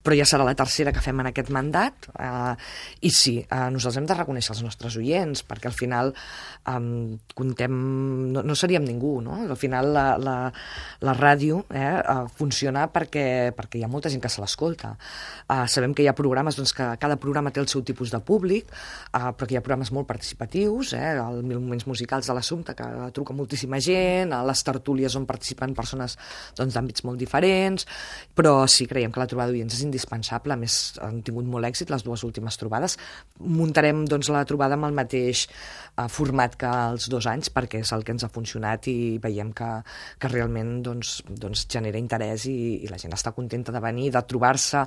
però ja serà la tercera que fem en aquest mandat, i sí, nosaltres hem de reconèixer els nostres oients, perquè al final comptem, no seríem ningú, no? Al final la ràdio funciona perquè hi ha molta gent que se l'escolta. Sabem que hi ha programes, doncs, que cada programa té el seu tipus de públic, però que hi ha programes molt participatius, els moments musicals de l'Assumpta, que truca moltíssima gent, a les tertúlies on participen persones d'àmbits molt diferents, però sí, creiem que la trobada d'oients és indispensable. A més, han tingut molt èxit les dues últimes trobades. Muntarem la trobada amb el mateix format que els 2 anys, perquè és el que ens ha funcionat i veiem que realment genera interès i la gent està contenta de venir, de trobar-se